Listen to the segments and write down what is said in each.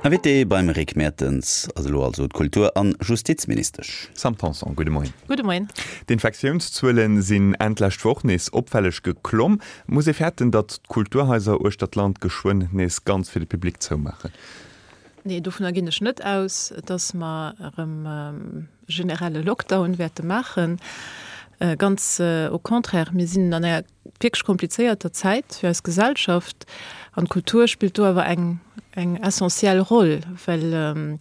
Invité beim Rick Mertens ass elo also d'Kultur an Justizministesch. Sam Tanson, gudde Moien. Gudde Moien. D'Infektiounszuele sinn Enn d'lescht Woch nees opfälleg geklomm. Muss ee fäerten, datt d'Kulturhaiser uechter d'Land geschwënn nees ganz fir de Public zoumaachen? Nee, dovunner ginn ech net aus, datt mer erëm generelle Lockdown wäerte maachen. Ganz au contraire, mir sinn an enger wierklech komplizéierter Zäit fir eis Gesellschaft an d'Kultur spillt do awer eng eng essentiell Roll, well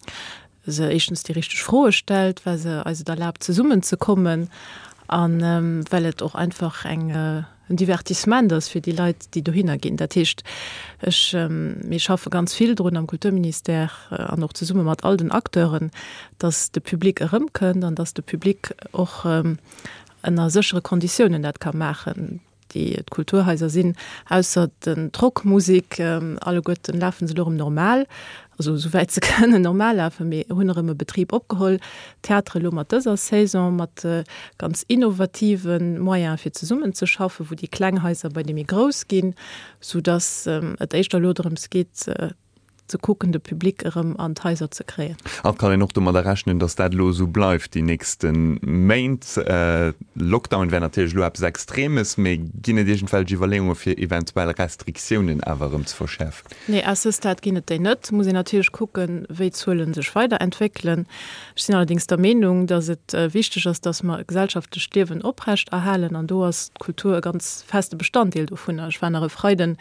se éischtens déi richteg Froe stellt, well se eis et erlaabt zesummen ze kommen an well et och einfach eng en Divertissement ass fir déi Leit, déi dohinner ginn. Dat heescht, ech, mir schaffe ganz vill drun am Kulturministère an och zesumme mat all den Acteuren, datt de Public erëmkënnt an datt de Public och ënner séchere Konditiounen dat ka maachen. Déi d'Kulturhaiser sinn, ausser den d'Rockmusek, alleguerten lafe se elo erëm normal, also esouwäit se kënnen normal lafen, mee hunn erëm e Betrib opgeholl. D'Theatere elo mat dëser Saison mat ganz innovative Moyene fir zesummenzeschaffen, wou déi kleng Haiser bei déi méi grouss ginn, soudass et éischter elo drëms geet, ze kucken, de Public erëm an d'Haiser ze kréien. A kann een och domadder rechnen, datt dat elo esou bleift déi nächste Méint? Lockdown wär natierlech elo eppes Extremes, mee ginn et iergendwelch Iwwerleeunge fir eventuell Restriktiounen awer erëm ze verschäerfen? Nee, à ce stade ginn et déi net. Muss een natierlech kucken, wéi d'Zuele sech weiderentwéckelen. Ech sinn allerdéngs der Meenung, datt et wichteg ass, datt mer e gesellschaftlecht Liewen oprecht erhalen an do ass d'Kultur e ganz feste Bestanddeel dovunner. Ech war nach e Freiden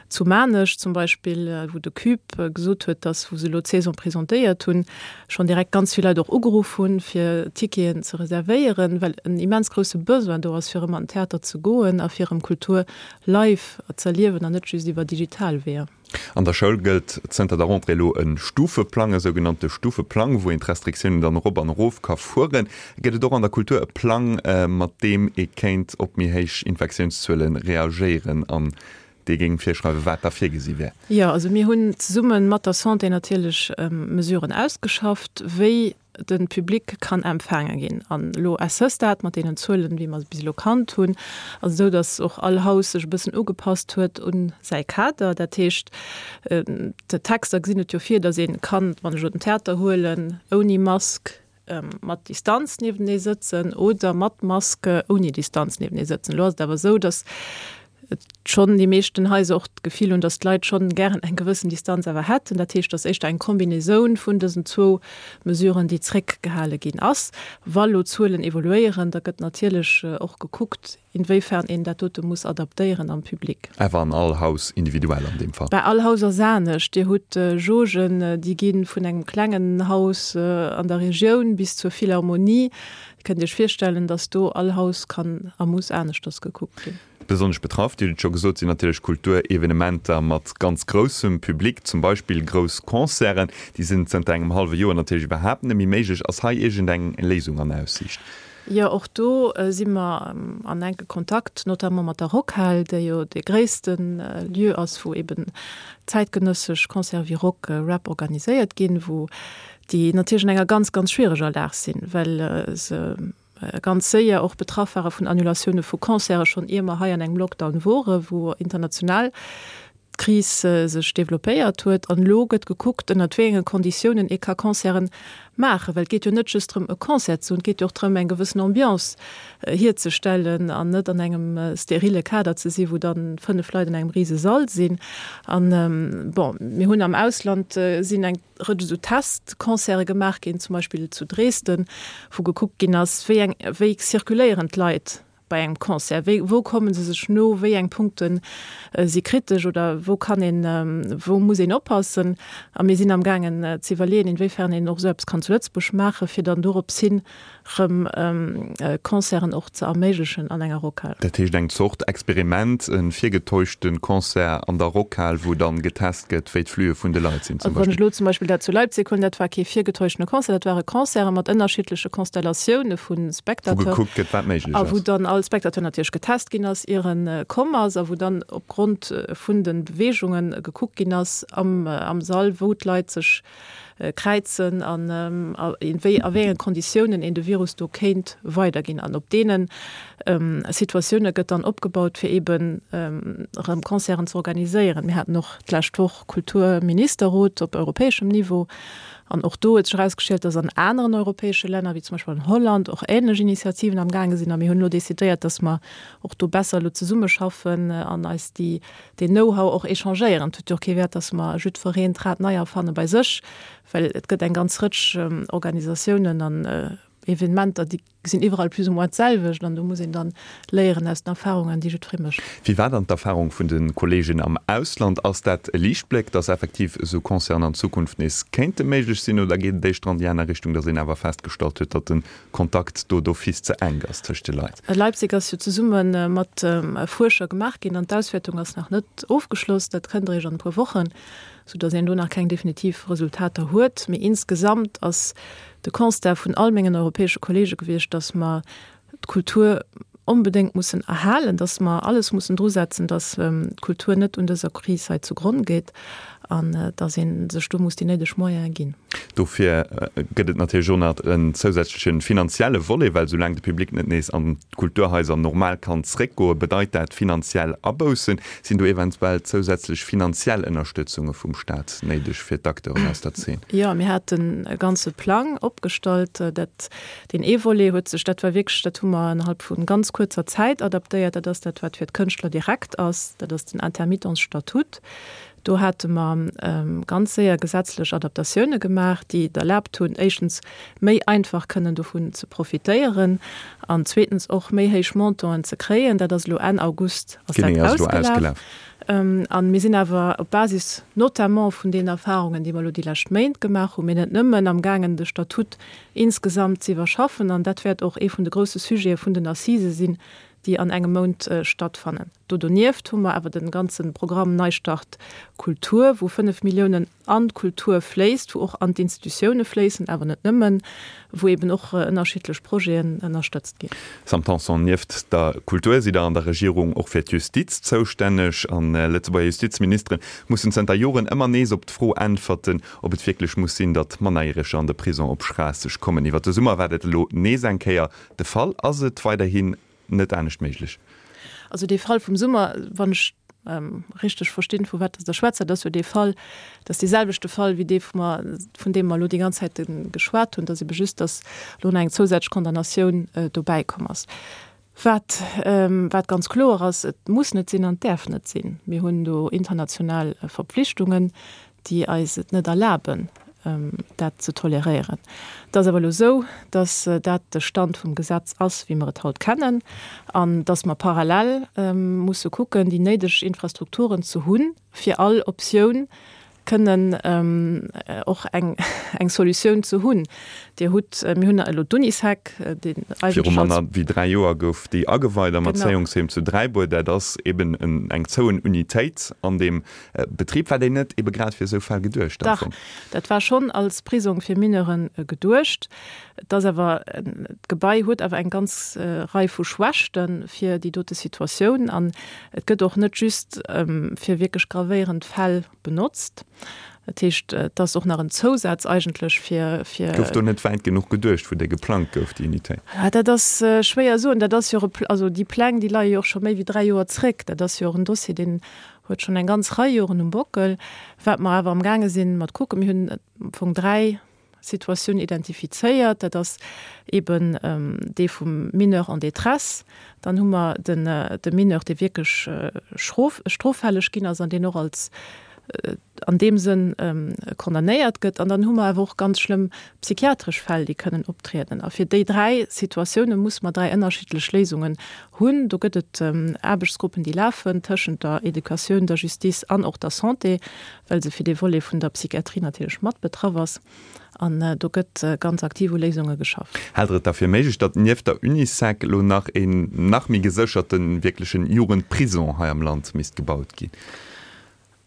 Zu Maarnech zum Beispill, wou de Cube gesot huet, dass, wou se elo d'Saison presentéiert hunn, schonn direkt ganz vill Leit och ugeruff hunn, fir Ticketen ze reservéieren, well en immens grousse Besoin do ass, fir erëm an den Theater ze goen a fir erëm Kultur live z'erliewen an net just iwwer digital Weeër. An der Schoul gëllt zënter der Rentrée elo e Stufeplang, e sougenannte Stufeplang, wou een d'Restriktiounen dann erop an erof ka fueren. Gëtt et och an der Kultur e Plang, mat deem ee kéint op méi héich Infektiounszuele reagéieren an dee géing virschreiwen, wat da virgesi wär? Jo, also mir hunn zesumme mat der Santé natierlech Mesuren ausgeschafft, wéi de Public kann empfaange ginn. An elo à ce stade, mat deenen Zuelen, wéi mer se bis elo kannt hunn, ass et esou, datt och all Haus sech e bëssen ugepasst huet un säi Kader. Dat heescht, d'Texter gesinn et jo vir, datt ee kann, wann ech elo den Theater huelen, ouni Mask, mat Distanz niewenee sëtzen oder mat Mask ouni Distanz niewenee sëtzen. Elo ass et awer esou, datt schonn déi meeschten Haiser och d'Gefill hunn, datt d'Leit schonn gären eng gewëssen Distanz awer hätten. Dat heescht, datt éischter eng Kombinaisoun vun dësen zwou Mesuren, déi zréckgehale ginn ass. Wa lo d'Zuelen evoluéieren, da gëtt natierlech och gekuckt, inwéifern een dat dote muss adaptéieren am Public. Awer an all Haus individuell an deem Fall? Bei all Haus ass anescht. Dir hutt Jaugen, déi gi vun engem klengen Haus an der Regioun bis zur Philharmonie. Dir kënnt Iech virstellen, datt do all Haus kann a muss aneschters gekuckt ginn. Besonnesch betraff, Dir hutt et scho gesot, sinn natierlech Kulturevenementer mat ganz groussem Public, zum Beispill grouss Concerten. Déi sinn zënter engem hallwe Joer natierlech iwwerhaapt net méi méiglech. Ass hei iergendeng Léisung an Aussiicht? Jo, och do si mer an enke Kontakt, notamment mat der Rockhal, déi jo dee gréisste Lieu ass, wou eben zäitgenëssesch Concerte wéi Rock, Rap organiséiert ginn, wou déi natierlech an enger ganz, ganz schwiereger Lag sinn, well se ganz séier och betraff ware vun Annulatioune vu Concerte, schonn ier mer hei an engem Lockdown wore, wou international d'Kris sech developpéiert huet. An elo gëtt gekuckt, ënnert wéi enge Konditiounen ee ka Concerten maachen. Well et geet jo net just drëm, e Concert ze hunn, et geet jo och drëm, eng gewëssen Ambiance hierzestellen an net an engem sterile Kader ze sinn, wou dann 5 Leit an engem rise Sall sinn. An, bon, mir hunn am Ausland sinn eng Rëtsch esou Testconcerte gemaach ginn, zum Beispill zu Dresden, wou gekuckt ginn ass, wéi eng, wéi zirkuléieren d'Leit bei engem Concert, wéi, wou komme se sech no, wéi eng Punkte si kritesch oder wou kann een, wou muss een oppassen. A mir sinn amgaangen ze iwwerleeën, inwiefern een och esou eppes kann zu Lëtzebuerg maachen, fir dann dorops hin erëm Concerten och ze erméiglechen an enger Rockhal. Dat heescht eng Zort Experiment, e virgetäuschte Concert an der Rockhal, wou dann getest gëtt, wéi d'Flüe vun de Leit sinn zum Beispill. Wann ech elo zum Beispill dat zu Leipzig huelen, dat war kee virgetäuschtene Concert, dat ware Concerte mat ënnerschiddleche Konstellatioune vu Spectateur. Wou gekuckt gëtt, wat méiglech ass. A wou dann all Spectateur natierlech getest ginn ass, ier e komm ass, a wou dann opgrond vun de Beweegunge gekuckt ginn ass am Sall, wou d'Leit sech. kräizen an a wéi a wéi enge Konditiounen een de Virus do kéint weiderginn. An op deene Situatioune gëtt dann opgebaut, fir eeben erëm Concerten ze organiséieren. Mir haten och d'lescht Woch Kulturministerrot op europäeschem Niveau an och do huet sech erausgestallt, datt an aneren europäesche Länner, wéi zum Beispill an Holland, och änlech Initiativen am gaange sinn. A mir hunn elo decidéiert, datt mer och do besser elo zesummeschaffen an eis déi deen Know-how och échangéieren. Et huet jo och kee Wäert, datt mer jiddwereen d'Rad nei erfanne bei sech, well et gëtt eng ganz Rëtsch Organisatiounen an Evenementer, déi sinn iwwerall plus ou moins d'selwecht an do muss een dann léieren aus den Erfahrungen, déi jiddweree mécht. Wéi war dann d'Erfahrung vun de Kolleegen am Ausland? Ass dat e Liichtbléck, datt effektiv esou Concerten an Zukunft nees kéinte méiglech sinn oder geet et éischter an déi aner Richtung, datt een awer festgestallt huet, datt de Kontakt do d'office ze enk ass tëscht de Leit? Leipzig ass jo zesumme mat Fuerscher gemaach ginn an d'Auswäertung ass nach net ofgeschloss. Dat kënnt eréischt an e puer Wochen, soudatt een do nach keng definitiv Resultater huet. Mee insgesamt ass de Constat vun all mengen europäesche Kollege gewiescht, datt mer d'Kultur onbedéngt mussen erhalen, datt mer alles mussen drusetzen, datt d'Kultur net un dëser Kris hei zugronn geet an datt ee sech do muss déi néideg Moyene ginn. Dofir gëtt et natierlech och nach en zousätzleche finanzielle Volet, well soulaang de Public net nees an d'Kulturhaiser normal kann zréckgoen, bedeit dat finanziell Aboussen. Sinn do eventuell zousätzlech finanziell Ënnerstëtzunge vum Staat néideg fir d'Acteuren aus der Zeen? Jo, mir haten e ganze Plang opgestallt. Dat, deen ee Volet huet sech, dat war wierklech, dat hu mer innerhalb vu ganz kuerzer Zäit adaptéiert, dat ass dat, wat fir d'Kënschtler direkt ass, dat ass den Intermittenzstatut. Do hate mer ganz séier gesetzlech Adaptatioune gemaach, déi et erlaabt hunn, éischtens méi einfach kënnen dovun ze profitéieren an zweetens och méi héich Montanten ze kréien. Dat ass elo Enn August ass dat ausgelaf. A mir sinn awer op Basis notamment vun deenen Erfahrungen, déi mer elo déi lescht Méint gemaach hunn, mee net nëmmen, amgaangen de Statut insgesamt ze iwwerschaffen. An dat wäert och ee vun de grousse Sujete vun den Assisë sinn, déi an engem Mount stattfannen. Do donieft hu mer awer de ganze Programm Neistart Kultur, wou 5 Milliounen an d'Kultur fléisst, wou och an d'Institutioune fléissen, awer net nëmmen, wou eben och ënnerschiddlech Projeten ënnerstëtzt ginn. Sam Tanson, Nieft der Kultur sidd Der an der Regierung och fir d'Justiz zoustänneg. An Lëtzebuerger Justizministere mussen zënter Joren ëmmer nees op d'Fro äntwerten, ob et wierklech muss sinn, datt Mannerjäreger an de Prisong op Schraasseg kommen. Iwwer de Summer war dat elo nees eng Kéier de Fall. Ass et weiderhin net anescht méiglech. Also dee Fall vum Summer, wann ech richteg verstinn, vu wat Der schwätzt, dat ass jo dee Fall, dat ass dee selwechte Fall wéi dee vu mer, vun deem mer elo déi ganz Zäit geschwat hunn, dass ebe just, dass elo nach eng zousätzlech Condamnatioun dobäi komm ass. Wat, wat ganz kloer ass, et muss net sinn an et däerf net sinn. Mir hunn do international Verpflichtungen, déi eis et net erlaben, dat ze toleréieren. Et ass awer elo esou, dass dat de Stand vum Gesetz ass, wéi mer et haut kennen, an dass mer parallel musse kucken, déi néideg Infrastrukturen ze hunn, fir all Optioun kënnen och eng Solutioun ze hunn. Dir hutt, mir hunn elo d'Unisec, deen eigentlech als. Viru manner wéi 3 Joer gouf déi ageweit am Erzéiungsheem zu Dräibuer. Dat ass eben eng zouen Unitéit an deem Betrib. War déi net ebe grad fir esou Fäll geduecht am Fong? Dach, dat war schonn als Prisong fir Mineuren geduecht. Et ass awer, d'Gebai huet awer eng ganz Rei vu Schwächte fir déi dote Situatioun an et gëtt och net just fir wierklech gravéierend Fäll benotzt. Dat heescht, et ass och nach en Zousaz eigentlech fir, fir. Gouf do net wäit genuch geduecht, wou déi geplangt gouf, déi Unitéit? Dat ass schwéier soen. Dat ass jo och e, also déi Pläng, déi leie jo och scho méi wéi 3 Joer zréck. Dat ass jo och en Dossier, deen huet schonn eng ganz Rei Joren um Bockel. Wat mer awer amgaange sinn mat kucken, mir hunn am Fong 3 Situatioun identifizéiert, dat ass eeben dee vum Mineur en détresse, dann hu mer den de Mineur, dee wierklech schrof stroffälleg ginn ass an deen och als an deem Sënn condamnéiert gëtt, an dann hu mer awer och ganz schlëmm psychiatresch Fäll, déi kënnen optrieden. A fir déi 3 Situatioune musse mer 3 ënnerschiddlech Léisungen hunn. Do gëtt et Aarbechtsgruppen, déi lafen tëschent der Educatioun, der Justice an och der Santé, well se fir dee Volet vun der Psychiatrie natierlech mat betraff ass. An do gëtt ganz aktiv u Léisunge geschafft. Haalt Der et da fir méiglech, datt nieft der Unisec elo nach een nach méi gesécherten, wierklechen Jugendprison hei am Land misst gebaut ginn?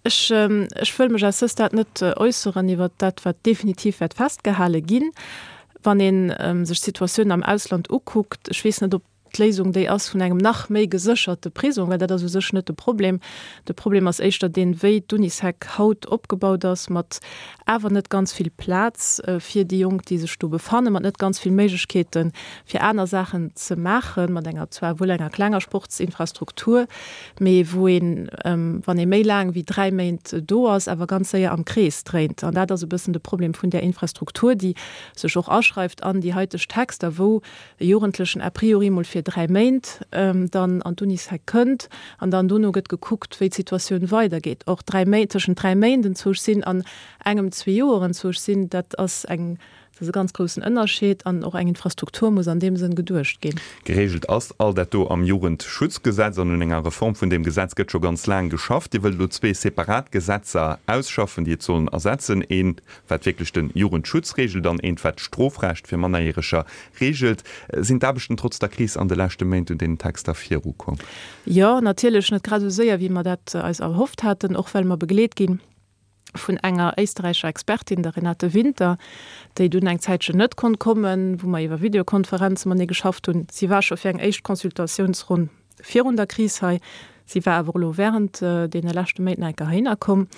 Ech, ech wëll mech à ce stade net äusseren iwwert dat, wat definitiv wäert festgehale ginn. Wann ee sech d'Situatioun am Ausland ukuckt, ech weess net, ob. d'Léisung déi ass vun engem nach méi gesécherte Prisong, well dat ass u sech net de Problem. De Problem ass éischter deen, wéi d'Unisec haut opgebaut ass, mat awer net ganz vill Plaz fir déi Jonk, déi sech do befannen, mat net ganz vill Méiglechkeete fir aner Saachen ze maachen, mat enger zwar wuel enger klenger Sportsinfrastruktur, mee wou een, wann ee méi laang wéi 3 Méint do ass, awer ganz séier am Krees dréint. An dat ass e bëssen de Problem vun där Infrastruktur, déi sech och aschreift an déi haiteg Texter, wou e Jugendlechen a priori mol fir 3 Méint dann an d'Unisec kënnt an dann dono gëtt gekuckt, wéi d'Situatioun weidergeet. Och 3 Méint, tëschent 3 Méint enzwousch sinn an engem zwee Joer enzwousch sinn, dat ass eng, dat ass e ganz groussen Ënnerscheed an och eng Infrastruktur muss an deem Sënn geduecht ginn. Geregelt ass all dat do am Jugendschutzgesetz an un enger Reform vun deem Gesetz gëtt scho ganz laang geschafft. Dir wëllt elo zwee separat Gesetzer ausschaffen, déi et sollen ersetzen, eent wat wierklech de Jugendschutz reegelt an eent, wat d'Strofrecht fir Mannerjäreger reegelt. Sinn d'Aarbechten trotz der Kris an de leschte Méint un deenen Texter virukomm? Jo, natierlech net grad esou séier, wéi mer dat eis erhofft haten, och well mer begleet gi vun enger éisterräicher Expertin, der Renate Winter, déi dunn eng Zäitchen net konnt kommen, wou mer iwwer Videokonferenze matenee geschafft hunn. Si war scho fir eng éischt Consultatiounsronn virun der Kris hei. Si war awer elo während deene leschte Méint nach eng Kéier heihinner komm.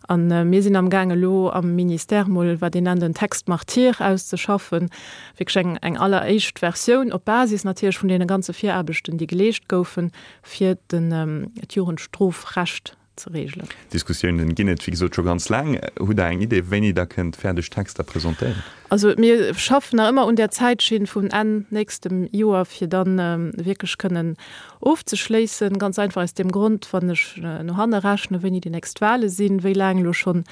A mir sinn amgaang elo am Ministère mol, wat een nennt, en Texte martyr auszeschaffen, wierklech eng, eng alleréischt Versioun op Basis natierlech vun deene ganze Viraarbechten, déi geleescht goufen, fir den, d'Jugendstrofrecht ze regelen. Diskussiounen ginn et, wéi gesot, scho ganz laang. Hutt Der eng Idee, wéini Der kënnt fäerdeg Texter presentéieren? Also mir schaffen nach ëmmer un där Zäitschinn vun Enn nächstem Joer, fir da wierklech kënnen ofzeschléissen. Ganz einfach aus deem Grond, wann ech no hanne rechnen, wéini déi nächst Wahle sinn, wéi laang elo schonn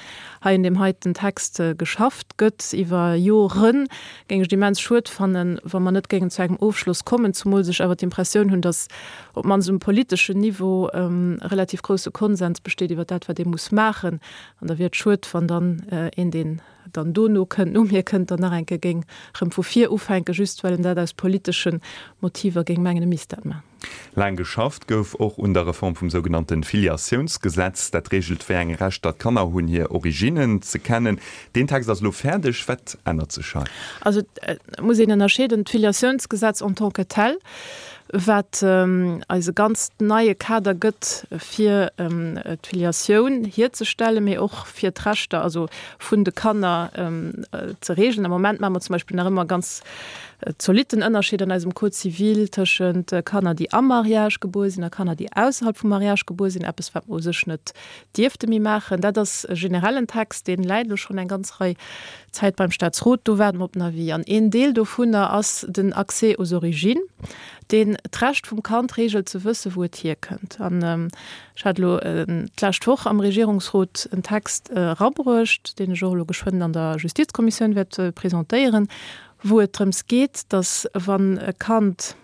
hei un deem heiten Text geschafft gëtt iwwer Joren, géing ech et immens schued fannen, wa mer net géingen zu engem Ofschloss kommen, zumools ech awer d'Impressioun hunn, datt op d'mannst um politeschen Niveau e relativ grousse Konsens besteet iwwer dat, wat ee muss maachen. An da wier et schued, wann dann een, deen dann dono kënnt, no mir kënnt, dann nach eng Kéier géing erëm vu vir ufänken, just well en dat aus politesche Motiver géing mengen, e misst dat maachen. Laang geschafft gouf och un der Reform vum sougenannte Filiatiounsgesetz. Dat reegelt, wéi eng Rechter d'Kanner hunn, hir Originnen ze kennen. Deen Text ass elo fäerdeg. Wat ännert sech hei? Also et muss een ënnerscheeden, d'Filiatiounsgesetz en tant que tel, wat eis e ganz neie Kader gëtt, fir d'Filiatioun hierzestellen, mee och fir d'Rechter also vun de Kanner ze regeln. Am Moment maache mer zum Beispill nach ëmmer ganz zolitten Ënnerscheed an eisem Code civil tëschent Kanner, déi am Mariage gebuer sinn a Kanner, déi ausserhalb vum Mariage gebuer sinn, eppes wat mer u sech net dierfte méi maachen. Dat ass e generellen Text, dee läit elo schonn eng ganz Rei Zäit beim Staatsrot. Do waarde mer op den Avis. An een Deel dovunner ass den Accès aux origines, deen d'Recht vum Kand reegelt ze wëssen, wou et hierkënnt. An ech hat elo d'lescht Woch am Regierungsrot en Text erabruecht, deen ech och elo geschwënn an der Justizkommissioun wäert presentéieren, wou et drëms geet, dass wann e Kand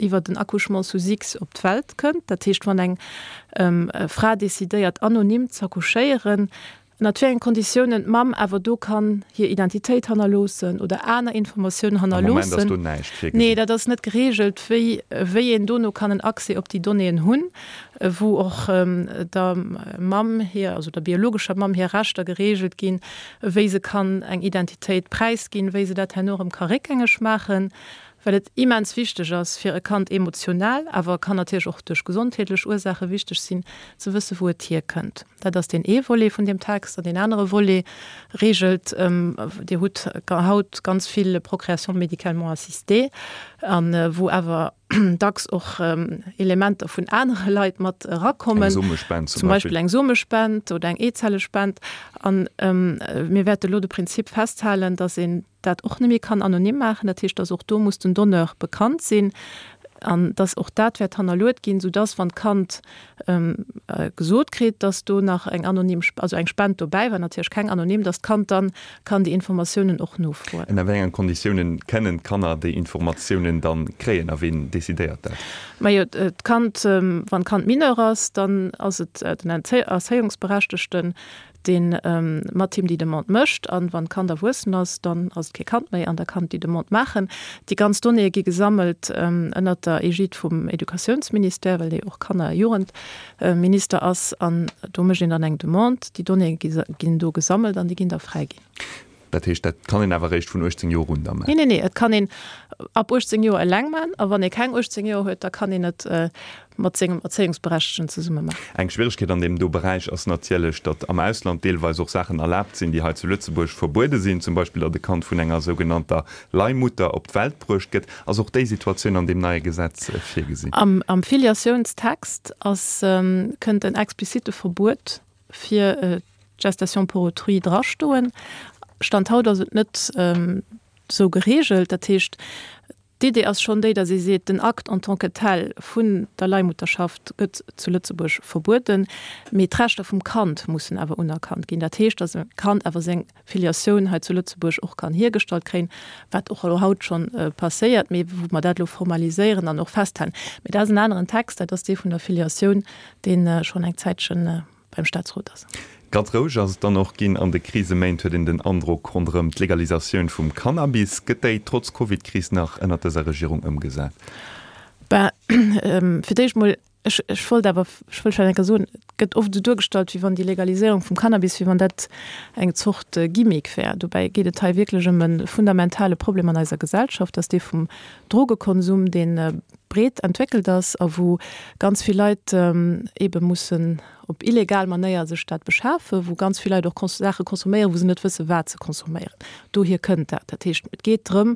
iwwer den Accouchement sous X op d'Welt kënnt, dat heescht wann eng Fra decidéiert anonym z'accouchéieren, ënnert wéi engen Konditiounen d'Mamm awer do kann hir Identitéit hannerloossen oder aner Informatiounen Am Moment ass hannerloossen. do näischt virgesinn. Nee, dat ass net gereegelt, wéi wéi een dono kann en Accès op déi Donnéeën hunn, wou och der Mamm hir, also der biologescher Mamm hir Rechter gereegelt ginn, wéi se kann eng Identitéit präisginn, wéi se dat herno erëm ka réckgängeg maachen. well et immens wichteg ass fir e Kand emotional, awer kann natierlech och duerch gesondheetlech Ursaache wichteg sinn, ze wësse wou et hierkënnt. Dat ass deen ee Volet vun deem Text. An deen anere Volet reegelt, Dir hutt haut ganz vill Procréation médicalement assistée, a wou awer dacks och Elementer vun anere Leit mat erakommen. Eng Somespend zum Beispill. Zum Beispill eng Somespend oder eng Eezellespend. A mir wäerte elo de Prinzip festhalen, dass een dat och net méi kann anonym maachen. Dat heescht, dass och do muss den Donneur bekannt sinn an dass och dat wäert hannerluet ginn, soudass, wann d'Kand gesot kritt, dass do nach eng anonym, also eng Spend dobäi war, natierlech keng anonym, dass d'Kand dann kann déi Informatiounen och nofroen. Ënner wéi engen Konditiounen kënnen d'Kanner déi Informatiounen dann kréien a ween decidéiert dat? Majo, d'Kand, wann d'Kand Mineur ass, dann ass et den Erzéiungsberechtegten, dee mat him déi Demande mécht. An wann d'Kand erwuessen ass, dann ass et kee Kand méi an da kann et déi Demande maachen. Déi ganz Donnéeë gi gesammelt ënnert der Egide vum Educatiounsministère, well dee och Kanner a Jugendminister ass. An do mécht een dann eng Demande. Déi Donnéeë ginn do gesammelt an déi ginn da fräiginn. Dat heescht, dat kann een awer eréischt vun 18 Joer un da maachen? Nee, nee, nee, et kann een ab 18 Joer eleng maachen a wann ee keng 18 Joer huet, da kann een et mat sengem Erzéiungsberechtegten zesumme maachen. Eng Schwieregkeet an deem do Beräich ass natierlech, datt am Ausland deelweis och Saachen erlaabt sinn, déi hei zu Lëtzebuerg verbuede sinn, zum Beispill datt e Kand vun enger sougenannter Leihmutter op d'Welt bruecht gëtt. Ass och déi Situatioun an deem neie Gesetz virgesinn? Am Filiatiounstext ass, kënnt en explizite Verbuet fir d'Gestation pour autrui drastoen. Stand haut ass et net esou geregelt. Dat heescht, d'Idee ass schonn déi, datt ee seet, den Akt en tant que tel vun der Leihmutterschaft gëtt zu Lëtzebuerg verbueden, mee d'Rechter vum Kand mussen awer unerkannt ginn. Dat heescht, datt e Kand awer seng Filiatioun hei zu Lëtzebuerg och kann hiergestallt kréien, wat och elo haut schonn passéiert, mee wou mer dat elo formaliséieren an och festhalen. Mee dat ass en aneren Text, dat ass dee vun der Filiatioun, dee schonn eng Zäitchen beim Staatsrot ass. Ganz roueg ass et dann och ginn an de Kriseméint, huet een den Androck, ronderëm d'Legalisatioun vum Cannabis. Gëtt déi trotz Covid-Kris nach ënnert dëser Regierung ëmgesat? Ben, fir d'éischt mol, ech, ech wollt awer, ech wëll vläicht eng Kéier soen, et gëtt oft esou duergestallt, wéi wann déi Legaliséierung vum Cannabis, wéi wann dat eng Zort Gimmick wär. Dobäi geet et hei wierklech ëm e fundamentale Problem an eiser Gesellschaft, dass dee vum Drogekonsum, dee breet entwéckelt ass a wou ganz vill Leit eebe mussen op illegal Manéier sech dat beschafen, wou ganz vill Leit och Saache consomméieren, wou se net wëssen, wat se consomméieren. Dohier kënnt dat. Dat heescht, et geet drëm,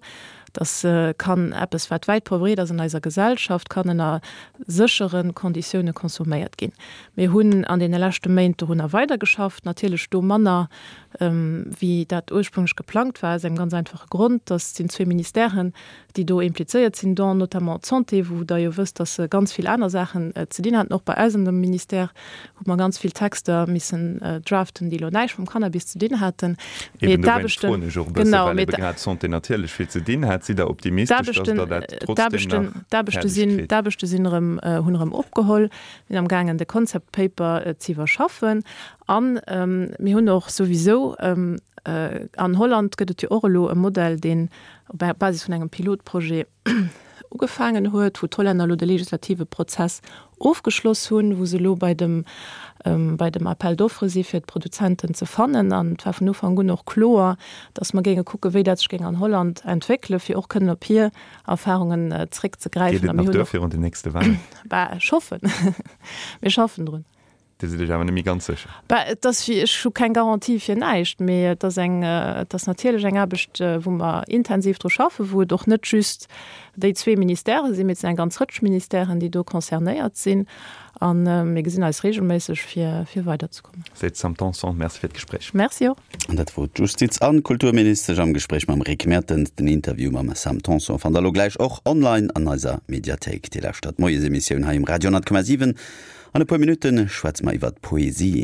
dass kann eppes, wat wäit verbreet ass an eiser Gesellschaft, kann ënner séchere Konditioune consomméiert ginn. Mir hunn an deene leschte Méint dorunner weidergeschafft, natierlech do manner, wéi dat ursprünglech geplangt war, aus engem ganz einfache Grond, dass sinn zwee Ministèren, déi do implizéiert sinn, dont notamment d'Santé, wou Der jo wësst, dass se ganz vill aner Saachen ze dinn haten. Och bei eis an dem Ministère hu mer ganz vill Texter missen draften, déi elo näischt mam Cannabis ze dinn haten. Mee Eben dowéinst d'Aarbechten, froen ech och e bësse, genau, well mee ebe grad d'Santé natierlech vill ze dinn hat. Sidd Der optimistesch, dass Der dat trotzdem nach d'Aarbechte fäerdeg sinn, kritt? d'Aarbechte sinn erëm, hunn erëm opgeholl, sinn amgaangen de Concept Paper ze iwwerschaffen. An mir hunn och souwisou, an Holland gëtt et jo och elo e Modell, deen op Basis vun engem Pilotprojet ugefaangen huet, wou d'Hollänner elo de legislative Prozess ofgeschloss hunn, wou se elo bei dem, bei dem Appel d'offres si fir d'Produzenten ze fannen. An et war vun Ufank un och kloer, datt mer géinge kucken, wéi dat sech géing an Holland entwéckelen, fir och kënnen op hir Erfahrungen zréckzegräifen. Geet et nach duer virun den nächste Wahlen? Bah, ech hoffen. Mir schaffen drun. Dir sidd Iech awer net méi ganz sécher? Bah, et ass wéi, ech hu keng Garantie fir näischt, mee et ass eng, et ass natierlech eng Aarbecht, wou mer intensiv dru schaffen, wou et och net just déi zwee Ministèrë sinn, mee et sinn eng ganz Rëtsch Ministèren, déi do concernéiert sinn. A mir gesinn eis reegelméisseg, fir, fir weiderzekommen. Seet d'Sam Tanson. Merci fir d'Gespréich. Merci och. An dat wor d'Justiz an Kulturministesch am Gespréich mam Rick Mertens. Den Interview mam Sam Tanson fannt der elo gläich och online an eiser Mediathéik. Dir lauschtert d'Moiesemissioun hei um Radio 10,7. An e puer Minutte schwätze mer iwwert Poesie.